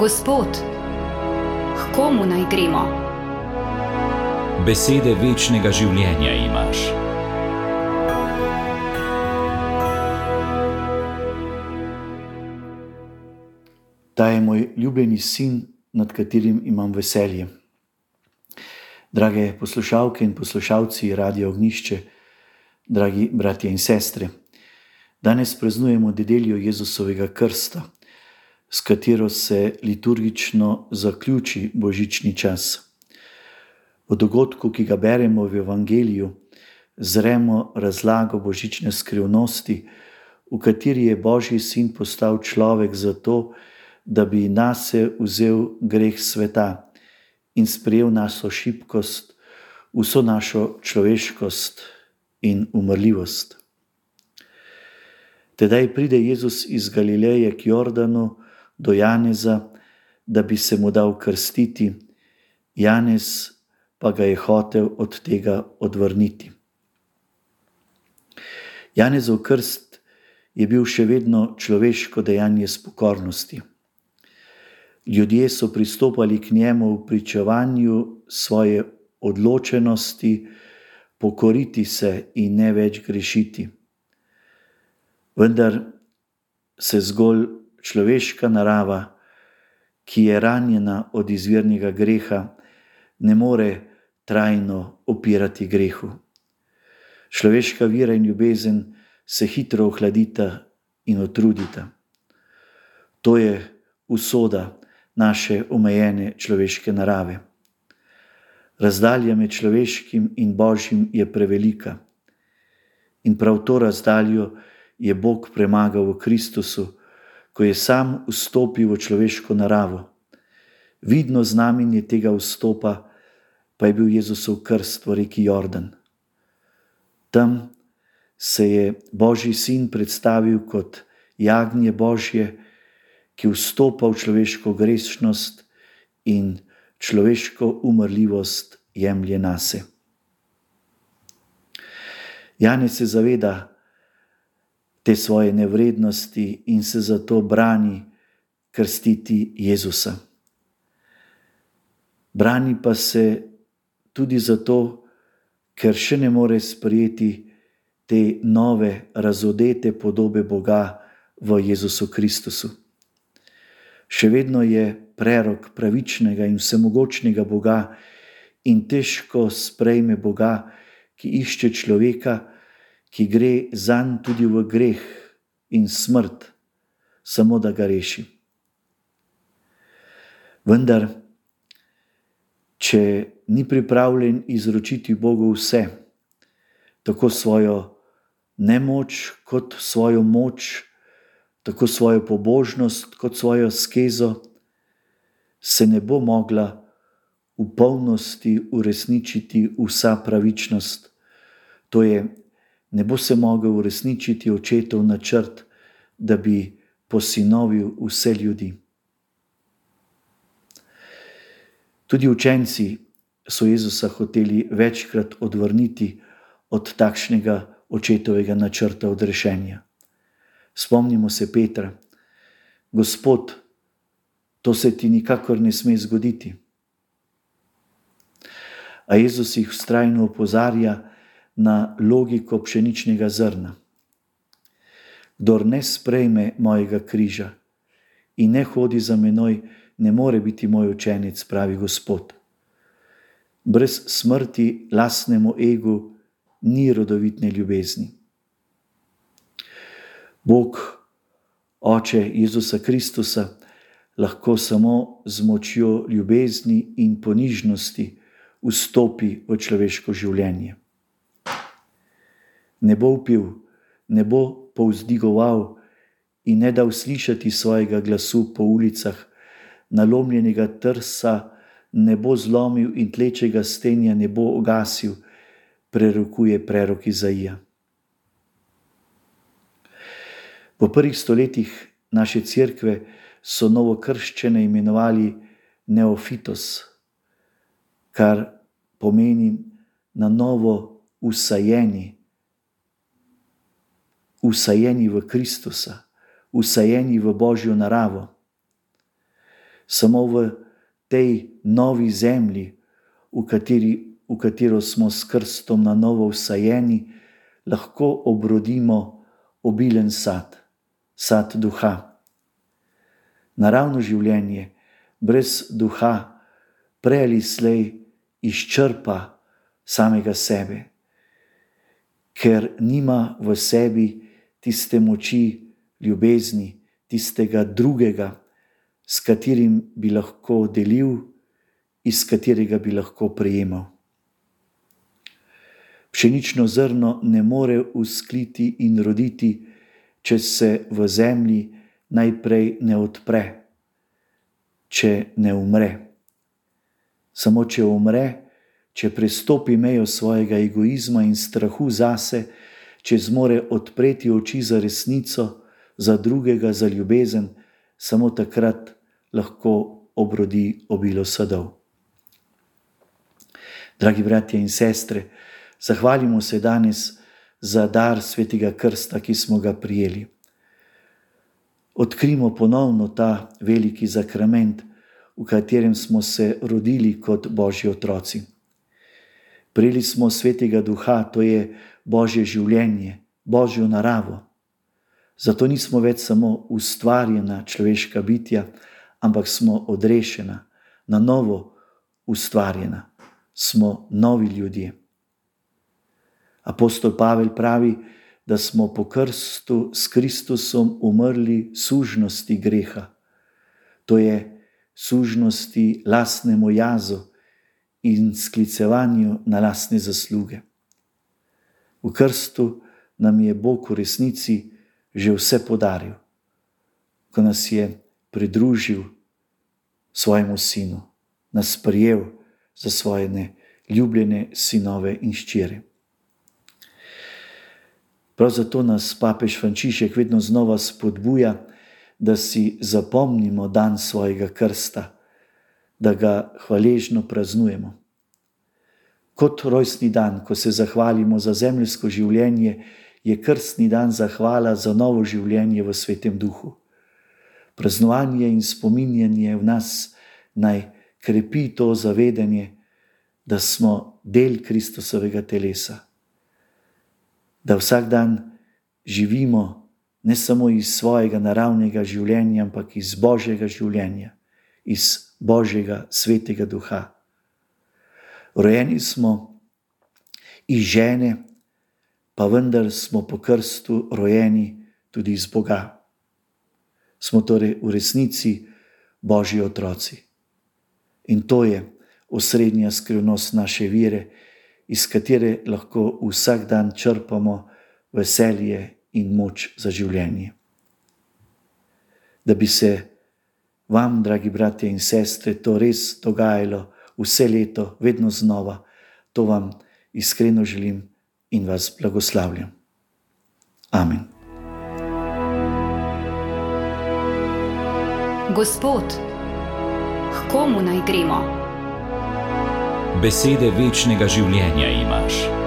Gospod, k komu naj gremo? Besede večnega življenja imaš. Ta je moj ljubljeni sin, nad katerim imam veselje. Drage poslušalke in poslušalci Radia Ognjišče, dragi bratje in sestre, danes praznujemo nedeljo Jezusovega krsta, s katero se liturgično zaključi božični čas. V dogodku, ki ga beremo v Evangeliju, zremo razlago božične skrivnosti, v kateri je Božji sin postal človek zato, da bi nase vzel greh sveta in sprejel našo šibkost, vso našo človeškost in umrljivost. Tedaj pride Jezus iz Galileje k Jordanu do Janeza, da bi se mu dal krstiti. Janez pa ga je hotel od tega odvrniti. Janezov krst je bil še vedno človeško dejanje s pokornosti. Ljudje so pristopali k njemu v pričevanju svoje odločenosti pokoriti se in ne več grešiti. Vendar se zgolj človeška narava, ki je ranjena od izvirnega greha, ne more trajno upirati grehu. Človeška vera in ljubezen se hitro ohladita in utrudita. To je usoda naše omejene človeške narave. Razdalja med človeškim in Božjim je prevelika. In prav to razdaljo je Bog premagal v Kristusu, ko je sam vstopil v človeško naravo. Vidno znamenje tega vstopa pa je bil Jezusov krst v reki Jordan. Tam se je Božji sin predstavil kot jagnje Božje, ki vstopa v človeško grešnost in človeško umrljivost jemlje nase. Janez se zaveda te svoje nevrednosti in se zato brani krstiti Jezusa. Brani pa se tudi zato, ker še ne more sprejeti te nove, razodete podobe Boga v Jezusu Kristusu. Še vedno je prerok pravičnega in vsemogočnega Boga in težko sprejme Boga, ki išče človeka, ki gre zanj tudi v greh in smrt, samo da ga reši. Vendar, če ni pripravljen izročiti Bogu vse, tako svojo nemoč kot svojo moč, tako svojo pobožnost kot svojo askezo, se ne bo mogla v polnosti uresničiti vsa pravičnost. To je, ne bo se mogel uresničiti očetov načrt, da bi posinovil vse ljudi. Tudi učenci so Jezusa hoteli večkrat odvrniti od takšnega očetovega načrta odrešenja. Spomnimo se Petra: Gospod, to se ti nikakor ne sme zgoditi. A Jezus jih vztrajno opozarja na logiko pšeničnega zrna. Kdor ne sprejme mojega križa in ne hodi za menoj, ne more biti moj učenec, pravi Gospod. Brez smrti lastnemu egu ni rodovitne ljubezni. Bog, Oče Jezusa Kristusa, lahko samo z močjo ljubezni in ponižnosti vstopi v človeško življenje. Ne bo vpil, ne bo povzdigoval in ne dal slišati svojega glasu po ulicah, nalomljenega trsa ne bo zlomil in tlečega stenja ne bo ugasil, prerokuje prerok Izaija. V prvih stoletjih naše cerkve so novokrščene imenovali neofitos, kar pomeni na novo usajeni v Kristusa, usajeni v Božjo naravo. Samo v tej novi zemlji, v katero smo s krstom na novo vsajeni, lahko obrodimo obilen sad, sad duha. Naravno življenje brez duha prej ali slej izčrpa samega sebe, ker nima v sebi tiste moči ljubezni, tistega drugega, s katerim bi lahko delil, iz katerega bi lahko prejemal. Pšenično zrno ne more vzkliti in roditi, če se v zemlji najprej ne odpre, če ne umre. Samo če umre, če prestopi mejo svojega egoizma in strahu zase, če zmore odpreti oči za resnico, za drugega, za ljubezen, samo takrat lahko obrodi obilo sadov. Dragi bratje in sestre, zahvalimo se danes za dar svetega krsta, ki smo ga prijeli. Odkrimo ponovno ta veliki zakrament, v katerem smo se rodili kot Božji otroci. Prijeli smo svetega duha, to je Božje življenje, Božjo naravo. Zato nismo več samo ustvarjena človeška bitja, ampak smo odrešena, na novo ustvarjena. Smo novi ljudje. Apostol Pavel pravi, da smo po krstu s Kristusom umrli sužnosti greha. To je sužnosti lastnemu jazu in sklicevanju na lastne zasluge. V krstu nam je Bog v resnici že vse podaril, ko nas je pridružil svojemu sinu, nas prijel za svoje ljubljene sinove in hčere. Prav zato nas papež Frančišek vedno znova spodbuja, da si zapomnimo dan svojega krsta, da ga hvaležno praznujemo. Kot rojstni dan, ko se zahvalimo za zemeljsko življenje, je krstni dan zahvala za novo življenje v Svetem Duhu. Praznovanje in spominjanje v nas naj krepi to zavedanje, da smo del Kristusovega telesa. Da vsak dan živimo ne samo iz svojega naravnega življenja, ampak iz Božjega življenja, iz Božjega svetega duha. Rojeni smo iz žene, pa vendar smo po krstu rojeni tudi iz Boga. Smo torej v resnici Božji otroci. In to je osrednja skrivnost naše vere, iz katere lahko vsak dan črpamo veselje in moč za življenje. Da bi se vam, dragi bratje in sestre, to res dogajalo vse leto, vedno znova, to vam iskreno želim in vas blagoslavljam. Amen. Gospod, k komu naj gremo? Besede večnega življenja imaš.